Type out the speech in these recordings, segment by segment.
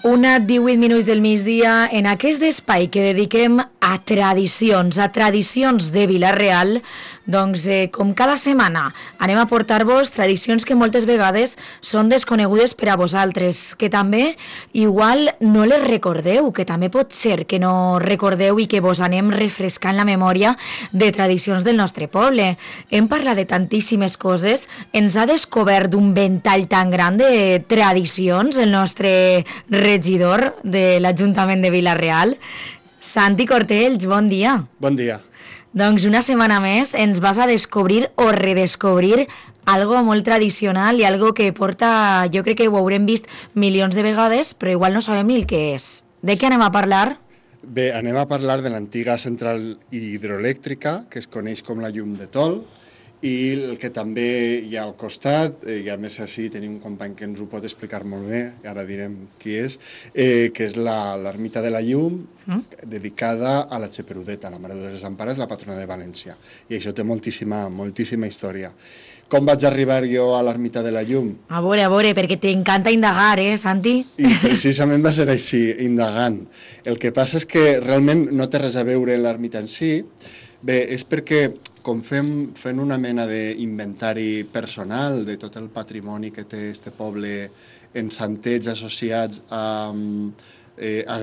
Una 18 minuts del migdia en aquest espai que dediquem a tradicions de Vila-real. Doncs, com cada setmana, anem a portar-vos tradicions que moltes vegades són desconegudes per a vosaltres, que també igual no les recordeu, que també pot ser que no recordeu i que vos anem refrescant la memòria de tradicions del nostre poble. Hem parlat de tantíssimes coses, ens ha descobert un ventall tan gran de tradicions el nostre regidor de l'Ajuntament de Vila-real. Santi Cortells, bon dia. Bon dia. Doncs una setmana més ens vas a descobrir o redescobrir algo molt tradicional i algo que porta, jo crec que ho haurem vist milions de vegades, però igual no sabem ni el que és. De què anem a parlar? Bé, anem a parlar de l'antiga central hidroelèctrica, que es coneix com la Llum de Tol, i el que també hi ha al costat, i a més així tenim un company que ens ho pot explicar molt bé, ara direm qui és, que és l'ermita de la Llum, dedicada a la Xeperudeta, la Mare de les Desampares, la patrona de València. I això té moltíssima història. Com vaig arribar jo a l'ermita de la Llum? A veure, perquè t'encanta indagar, Santi? I precisament va ser així, indagant. El que passa és que realment no té res a veure l'ermita en si. Bé, és perquè com fent una mena d'inventari personal de tot el patrimoni que té este poble en santets associats a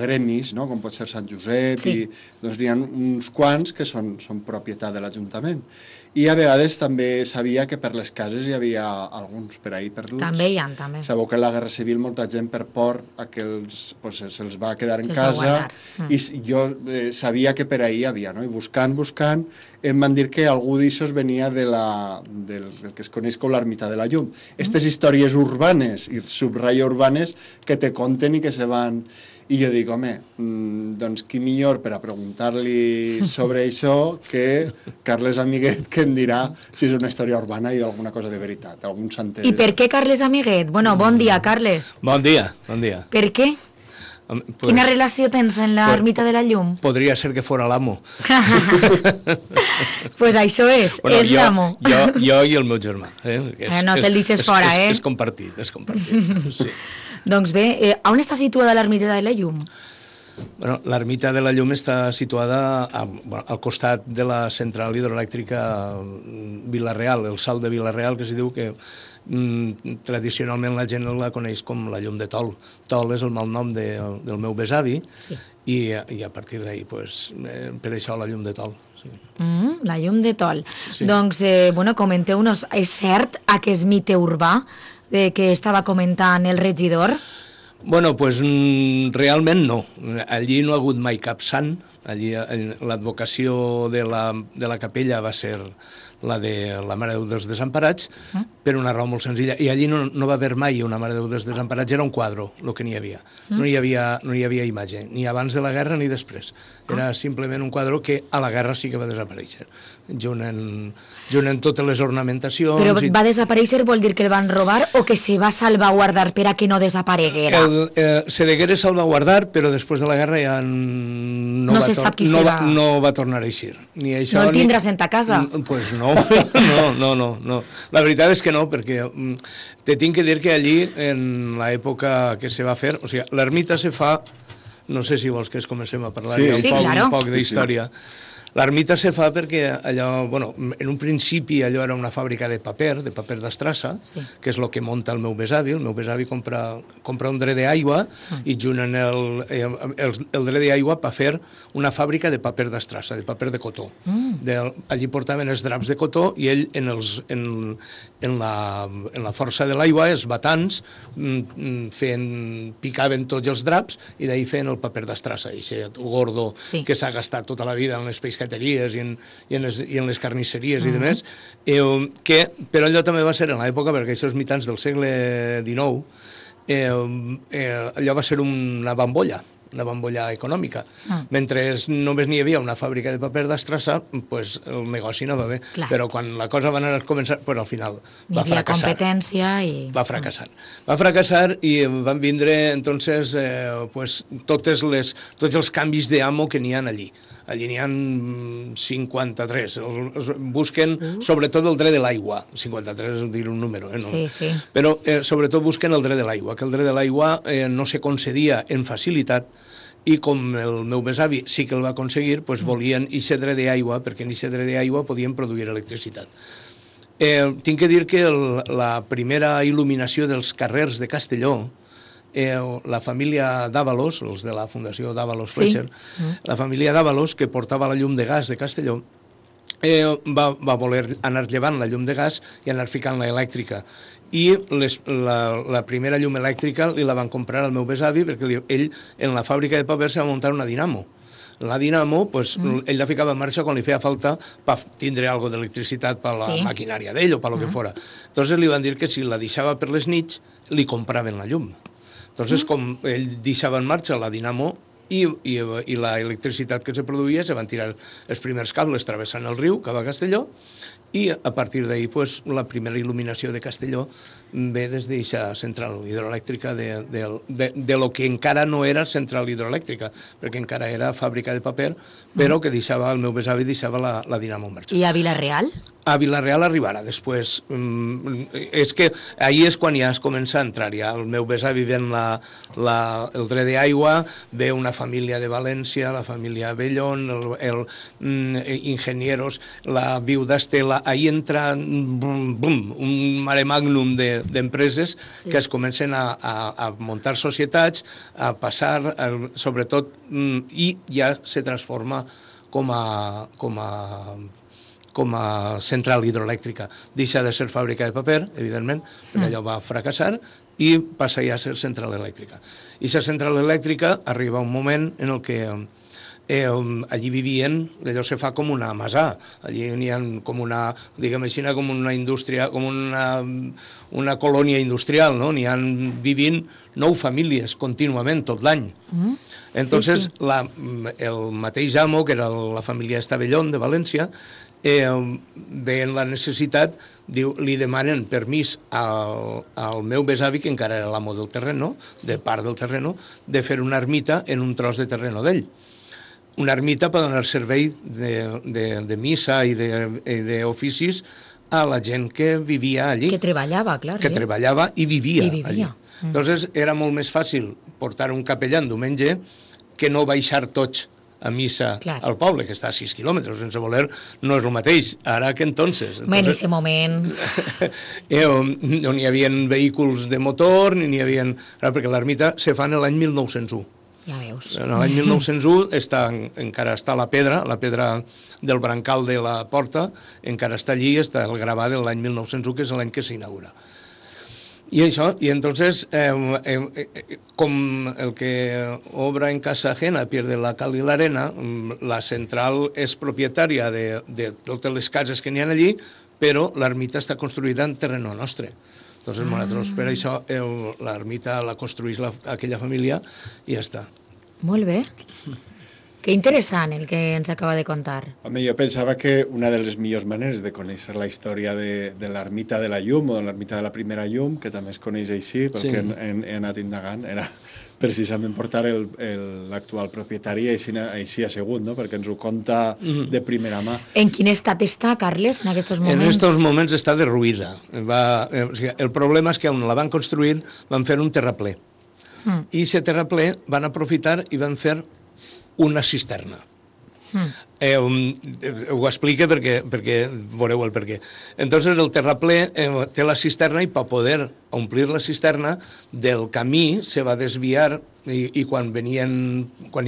gremis, no? Com pot ser Sant Josep, sí. Doncs n'hi ha uns quants que són propietat de l'Ajuntament. I a vegades també sabia que per les cases hi havia alguns per ahí perduts. També hi ha, també. Sabeu que en la Guerra Civil molta gent per por a que se'ls va quedar en casa i jo sabia que per ahí hi havia, no? I buscant, em van dir que algú d'aixòs venia del que es coneix com l'ermita de la Llum. Aquestes històries urbanes, i subratlla urbanes, que te conten i que se van... I jo dic, home, doncs qui millor per a preguntar-li sobre això que Carles Amiguet, que em dirà si és una història urbana i alguna cosa de veritat, algun santer. I per què Carles Amiguet? Bueno, bon dia, Carles. Bon dia. Per què? Quina relació tens en l'ermita de la Llum? Podria ser que fora l'amo. Pues això és l'amo. Jo i el meu germà. No te'l deixes fora, És compartit, sí. Doncs bé, on està situada l'ermita de la Llum? Bueno, l'ermita de la Llum està situada al costat de la central hidroelèctrica Vila-real, el salt de Vila-real, que s'hi diu que tradicionalment la gent la coneix com la Llum de Tol. Tol és el malnom del meu besavi, sí. I a partir d'ahir, per això la Llum de Tol. Sí. La Llum de Tol. Sí. Doncs, comenteu-nos, és cert aquest mite urbà que estava comentant el regidor? Bueno, realment no. Allí no ha hagut mai cap sant. Allí l'advocació de la capella va ser la de la Mare de Déu dels Desemparats, per una raó molt senzilla. I allí no va haver mai una Mare de Déu dels Desemparats, era un quadre el que n'hi havia. No hi havia imatge, ni abans de la guerra ni després. Era simplement un quadre que a la guerra sí que va desaparèixer, junt en totes les ornamentacions. Però va desaparèixer vol dir que el van robar o que se va salvaguardar per a que no desapareguera? Se deguera salvaguardar, però després de la guerra ja no va tornar a eixir. No el tindràs en ta casa? Pues no. La veritat és que no, perquè te tinc que dir que allí, en l'època que se va fer, o sigui, l'ermita se fa, no sé si vols que comencem a parlar un poc d'història. L'ermita se fa perquè allò, en un principi allò era una fàbrica de paper d'estrassa, que és el que munta el meu besavi. El meu besavi compra un dre d'aigua i junt el dre d'aigua per fer una fàbrica de paper d'estrassa, de paper de cotó. Allí portaven els draps de cotó i ell en la força de l'aigua, els batans, picaven tots els draps i d'ahir feien el paper d'estrassa, aquest gordo que s'ha gastat tota la vida en les pescateries i en les carnisseries i demés, però allò també va ser en l'època, perquè això és mitjans del segle XIX, allò va ser una bambolla econòmica. Mentre només n'hi havia una fàbrica de paper d'estrassa, el negoci no va bé. Però quan la cosa va anar a començar, al final va fracassar. Hi havia competència i... Va fracassar i van vindre, entonces, tots els canvis d'amo que n'hi ha allí. allí n'hi ha 53. Busquen sobretot el dret de l'aigua. 53 és dir un número, no? Sí, sí. Però sobretot busquen el dret de l'aigua, que el dret de l'aigua no se concedia en facilitat, i com el meu besavi sí que el va aconseguir, doncs volien aquest dret d'aigua, perquè en aquest dret d'aigua podien produir electricitat. Tinc que dir que la primera il·luminació dels carrers de Castelló, la família d'Àvalos, els de la Fundació d'Àvalos Fletcher, la família d'Àvalos, que portava la llum de gas de Castelló, va voler anar llevant la llum de gas i anar ficant la elèctrica. I la primera llum elèctrica li la van comprar al meu besavi perquè ell en la fàbrica de paper se va muntar una dinamo. La dinamo, pues, ell la ficava en marxa quan li feia falta per tindre alguna d'electricitat per la maquinària d'ell o per lo que fora. Entonces li van dir que si la deixava per les nits li compraven la llum. Entonces, com ell deixava en marxa la dinamo i la electricitat que se produïa, se van tirar els primers cables travessant el riu cap a Castelló, i a partir d'ahir pues, la primera il·luminació de Castelló ve des d'aquesta central hidroelèctrica de lo que encara no era central hidroelèctrica, perquè encara era fàbrica de paper, però que deixava, el meu besavi deixava la dinamo en marxa. I a Vila-real? A Vila-real arribarà després. És que ahir és quan ja es comença a entrar. Ja el meu besavi ven el dret d'aigua, ve una família de València, la família Bellón, Ingenieros, la viuda Estela. Ahir entra un mare magnum d'empreses que es comencen a muntar societats, a passar, sobretot, i ja se transforma com a central hidroelèctrica. Deixa de ser fàbrica de paper, evidentment, perquè allò va fracassar, i passa ja a ser central elèctrica. I la central elèctrica arriba un moment en el que allí vivien, allò se fa com una masà, allí n'hi ha com una, diguem així, com una indústria, com una colònia industrial, no? N'hi ha vivint 9 famílies contínuament tot l'any. Entonces, el mateix amo, que era la família Estavellón de València, veient la necessitat, li demanen permís al meu besavi, que encara era l'amo del terreno, de part del terreno, de fer una ermita en un tros de terreno d'ell. Una ermita per donar servei de missa i d'oficis a la gent que vivia allí. Que treballava, clar. Que treballava i vivia allí. Entonces era molt més fàcil portar un capellà en diumenge que no baixar tots a missa al poble, que està a 6 quilòmetres, sense voler, no és el mateix, ara que entonces. En aquest moment. No n'hi havia vehicles de motor, ni n'hi havia... Perquè l'ermita se fa en l'any 1901. Ja veus. En l'any 1901 encara està la pedra del brancal de la porta, encara està allí, està el gravat de l'any 1901, que és l'any que s'inaugura. I això, i entonces, com el que obra en casa ajena pierde la cal i l'arena, la central és propietària de totes les cases que n'hi ha allí, però l'ermita està construïda en terreno nostre. Entonces, nosaltres, per això, l'ermita la construïs aquella família i ja està. Molt bé. Que interessant el que ens acaba de contar. Home, jo pensava que una de les millors maneres de conèixer la història de l'ermita de la llum o de l'ermita de la primera llum, que també es coneix així, perquè he anat indagant, era precisament portar l'actual propietari així assegut, no? Perquè ens ho conta de primera mà. En quin estat està, Carles, en aquests moments? En aquests moments està derruïda. El problema és que on la van construir van fer un terraplè. I aquest terraplè van aprofitar i van fer una cisterna. Ho explica perquè veureu el perquè. Entonces el terraplè té la cisterna i per poder omplir la cisterna del camí se va desviar i quan hi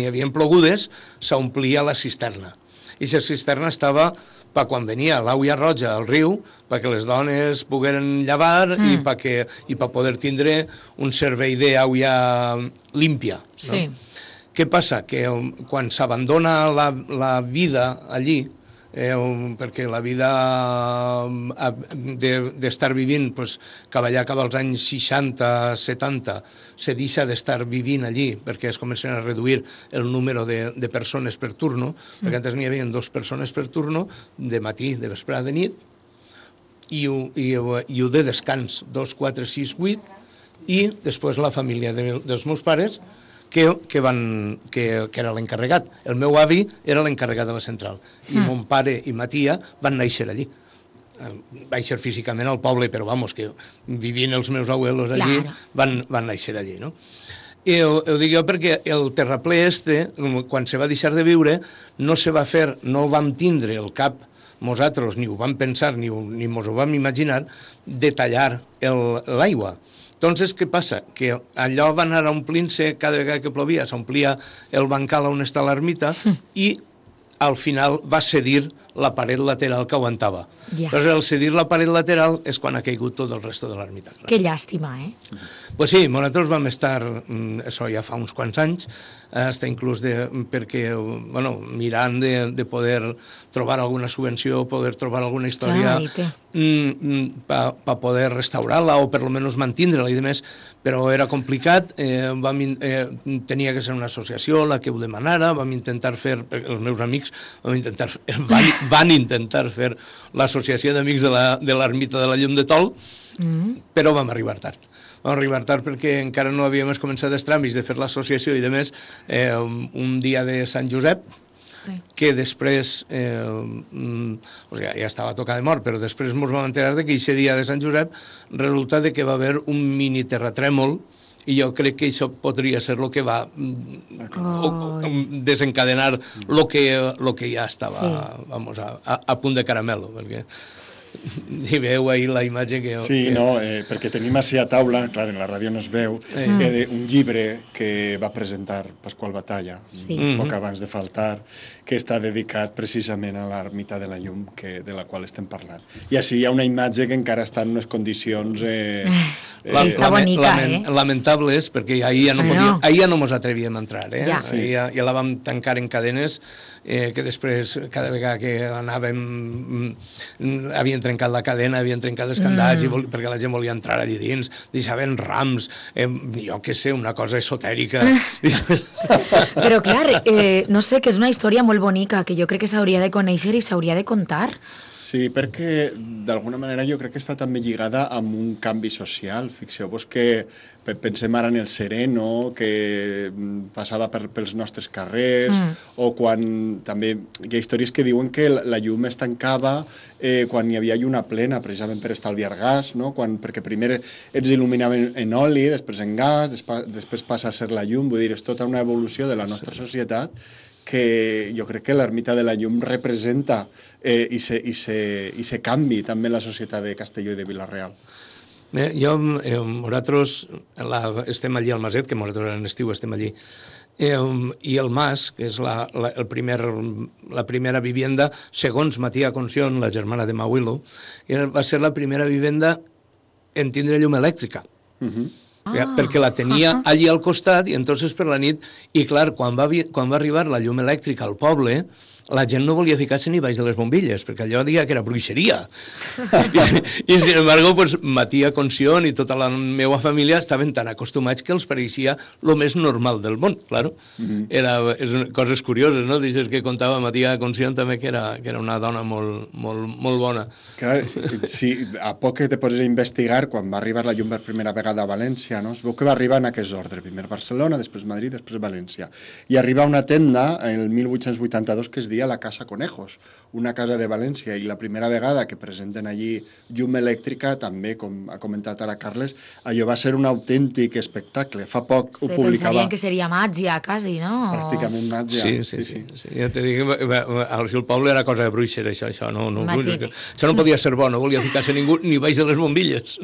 havia plogudes s'omplia la cisterna. I la cisterna estava per quan venia l'aigua roja al riu, perquè les dones pogueren llevar i per poder tindre un servei d'aigua límpia. Sí. Què passa? Que quan s'abandona la vida allí, perquè la vida d'estar vivint cap allà, cap als anys 60-70, se deixa d'estar vivint allí perquè es comencen a reduir el número de persones per turno, perquè antes n'hi havia 2 persones per turno, de matí, de vesprada, de nit, i ho de descans, 2, 4, 6, 8, i després la família dels meus pares, que era l'encarregat. El meu avi era l'encarregat de la central i mon pare i ma tia van néixer allí. Vaig ser físicament al poble, però vamos, que vivien els meus abuelos allí, van néixer allí, no? I ho dic jo perquè el terraplè quan se va deixar de viure, no se va fer, no vam tindre el cap nosaltres, ni ho vam pensar, ni mos ho vam imaginar, de tallar l'aigua. Entonces, què passa? Que allò va anar omplint-se, cada vegada que plovia, s'omplia el bancal on està l'ermita i al final va cedir la paret lateral que aguantava. Llavors, al cedir la paret lateral és quan ha caigut tot el resto de l'ermita. Que llàstima, Pues sí, nosaltres vam estar, això ja fa uns quants anys, hasta inclús perquè, bueno, mirant de poder trobar alguna subvenció, poder trobar alguna història per poder restaurar-la o per almenys mantindre-la i demés, però era complicat, tenia que ser una associació la que ho demanara, vam intentar fer, els meus amics van intentar fer l'associació d'amics de l'ermita de la Llum de Tol, però vam arribar tard. Vam arribar tard perquè encara no havíem començat els tràmits de fer l'associació i, a més, un dia de Sant Josep, que després, ja estava a tocar de mort, però després ens vam enterar que aquest dia de Sant Josep resulta que va haver un mini terratrèmol i jo crec que això podria ser el que va desencadenar el que ja estava a punt de caramelo, perquè hi veu ahir la imatge que... Sí, no, perquè tenim així a taula, clar, en la ràdio no es veu, un llibre que va presentar Pasqual Batalla, poc abans de faltar, que està dedicat precisament a l'ermita de la Llum, de la qual estem parlant. I així hi ha una imatge que encara està en unes condicions... Està bonica, lamentables, perquè ahir ja no mos atrevíem a entrar, ja la vam tancar en cadenes, que després, cada vegada que anàvem, havien trencat la cadena, havien trencat els candats, perquè la gent volia entrar allí dins, deixaven rams, jo què sé, una cosa esotèrica. Però clar, no sé, que és una història molt bonica, que jo crec que s'hauria de conèixer i s'hauria de contar. Sí, perquè d'alguna manera jo crec que està també lligada amb un canvi social. Fixeu-vos que pensem ara en el Sereno, que passava pels nostres carrers, o quan també hi ha històries que diuen que la llum es tancava quan hi havia lluna plena, precisament per estalviar gas, no? Perquè primer ens il·luminaven en oli, després en gas, després passa a ser la llum, vull dir, és tota una evolució de la nostra societat que jo crec que l'ermita de la Llum representa i se canvi també la societat de Castelló i de Vila-real. Nosaltres estem allí al Maset, que nosaltres en estiu estem allí, i el Mas, que és la primera vivienda, segons Matia Concion, la germana de Mauilo, va ser la primera vivenda en tindre llum elèctrica. Perquè la tenia allí al costat i entonces per la nit, i clar, quan va arribar la llum elèctrica al poble, la gent no volia ficar-se ni baix de les bombilles, perquè allò deia que era bruixeria. I sin embargo, pues, Matia Concion i tota la meva família estaven tan acostumats que els pareixia el més normal del món, claro. Coses curioses, no? Dices que contava Matia Concion també que era una dona molt bona. Clar, sí, a poc que te poses a investigar, quan va arribar la llum per primera vegada a València, no? Es veu que va arribar en aquest ordre, primer Barcelona, després Madrid, després València. I arriba a una tenda, en el 1882, que es diu la Casa Conejos, una casa de València, i la primera vegada que presenten allí llum elèctrica, també, com ha comentat ara Carles, allò va ser un autèntic espectacle. Fa poc ho publicava... Pensarien que seria màgia, quasi, no? Pràcticament màgia. Sí. Ja te dic, el poble era cosa de bruixer, això no podia ser bo, no volia ficar-se ningú ni baix de les bombilles.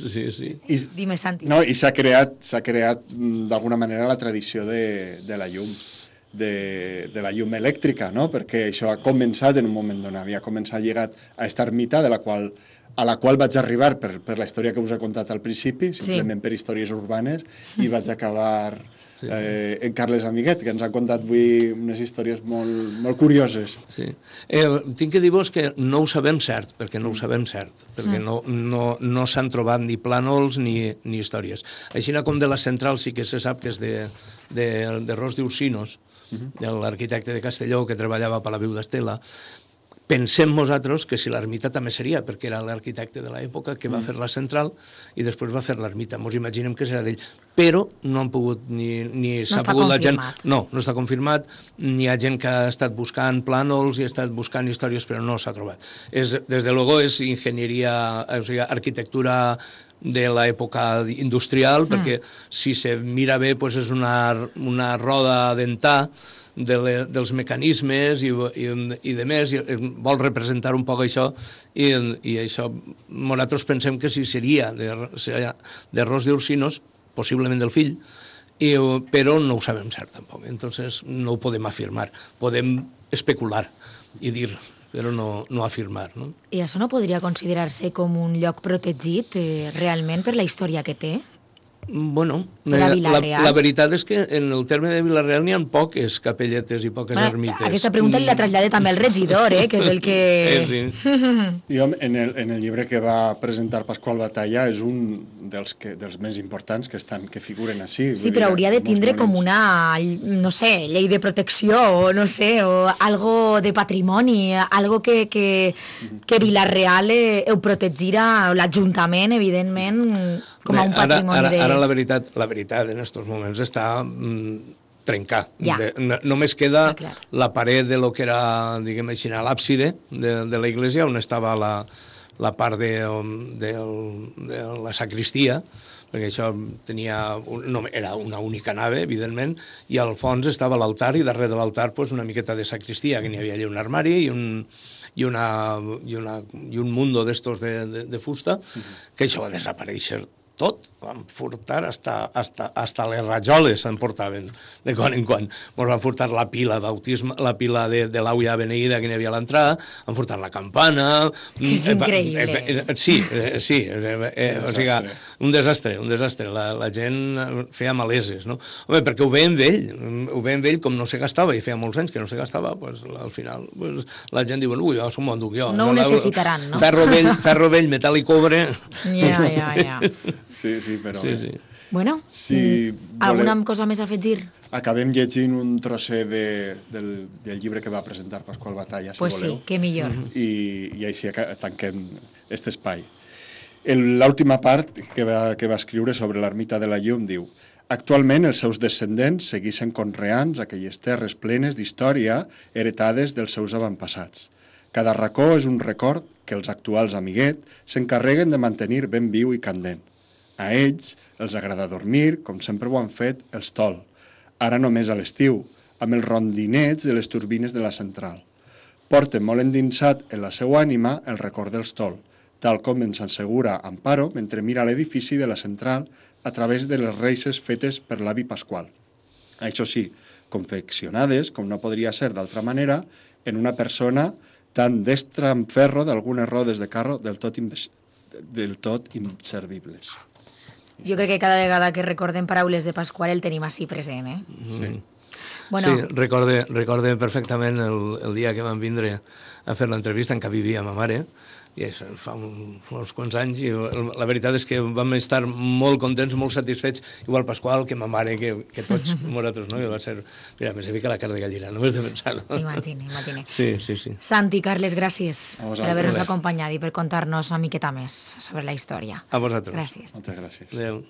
Sí. Dime, Santi. No, i s'ha creat d'alguna manera la tradició de la llum, de la llum elèctrica, no? Perquè això ha començat en un moment donat, havia començat lligat a esta ermita, a la qual vaig arribar per la història que us he contat al principi, simplement per històries urbanes, i vaig acabar en Carles Amiguet, que ens ha contat avui unes històries molt curioses. Sí. Tinc que dir-vos que no ho sabem cert, perquè no s'han trobat ni plànols ni històries. Així com de la central sí que se sap que és de Ros d'Ursinos, de l'arquitecte de Castelló que treballava per la Viu d'Estela, pensem nosaltres que si l'ermita també seria, perquè era l'arquitecte de l'època que va fer la central i després va fer l'ermita. Ens imaginem que serà d'ell. Però no han pogut ni s'ha pogut la gent... No està confirmat. N'hi ha gent que ha estat buscant plànols i ha estat buscant històries, però no s'ha trobat. Des de luego és enginyeria, o sigui, arquitectura de l'època industrial, perquè si se mira bé és una roda dentar dels mecanismes i de més, i vol representar un poc això, i això nosaltres pensem que si seria de Ros d'Ursinos, possiblement del fill, però no ho sabem cert tampoc, entonces no ho podem afirmar, podem especular i dir, però no afirmar. No? I això no podria considerar-se com un lloc protegit realment per la història que té? Bueno, la veritat és que en el terme de Vila-real n'hi ha poques capelletes i poques ermites. Aquesta pregunta li la traslladé també al regidor, que és el que... Jo, en el llibre que va presentar Pasqual Batalla, és un dels més importants que figuren així. Sí, però hauria de tindre com una, no sé, llei de protecció, o no sé, o algo de patrimoni, algo que Vila-real ho protegirà, l'Ajuntament, evidentment, com a un patrimoni de... Ara la veritat en aquests moments està trencar. Només queda la paret de lo que era, diguem així, l'àpside de la iglesia, on estava la part de la sacristia, perquè això era una única nave, evidentment, i al fons estava l'altar, i darrere de l'altar una miqueta de sacristia, que n'hi havia allà un armari i un mundo d'estos de fusta, que això va desaparèixer tot, van furtar hasta les rajoles s'emportaven de quan en quan. Ens van furtar la pila bautisme, la pila de l'auia beneïda que n'hi havia a l'entrada, han furtat la campana... És increïble. Sí, o sigui, un desastre. La gent feia maleses, no? Home, perquè ho veiem vell, com no se gastava, i feia molts anys que no se gastava, al final la gent diu, ui, això m'ho enduc jo. No ho necessitaran, no? Ferro vell, metall i cobre... Ja. Sí, però... Sí. Bueno, alguna cosa més a afegir? Acabem llegint un trosset del llibre que va presentar Pasqual Batalla, si voleu. Pues sí, que millor. I així tanquem aquest espai. L'última part que va escriure sobre l'ermita de la Llum diu: actualment els seus descendents segueixen conreant aquelles terres plenes d'història heretades dels seus avantpassats. Cada racó és un record que els actuals amiguet s'encarreguen de mantenir ben viu i candent. A ells els agrada dormir, com sempre ho han fet, els tol. Ara només a l'estiu, amb els rondinets de les turbines de la central. Porten molt endinsat en la seva ànima el record dels tol, tal com ens assegura Amparo mentre mira l'edifici de la central a través de les reixes fetes per l'avi Pasqual. Això sí, confeccionades, com no podria ser d'altra manera, en una persona tan destra en ferro d'algunes rodes de carro del tot inservibles. Jo crec que cada vegada que recordem paraules de Pasqual el tenim així present, Sí. Bueno. Sí, recorde perfectament el dia que vam vindre a fer l'entrevista en què vivia ma mare, i això fa uns quants anys, i la veritat és que vam estar molt contents, molt satisfets, igual Pasqual que ma mare, que tots nosaltres, no? I va ser, mira, me fica la cara de gallina, només de pensar, no? Imagine. Sí. Santi, Carles, gràcies per haver-nos acompanyat i per contar-nos una miqueta més sobre la història. A vosaltres. Gràcies. Moltes gràcies. Adéu.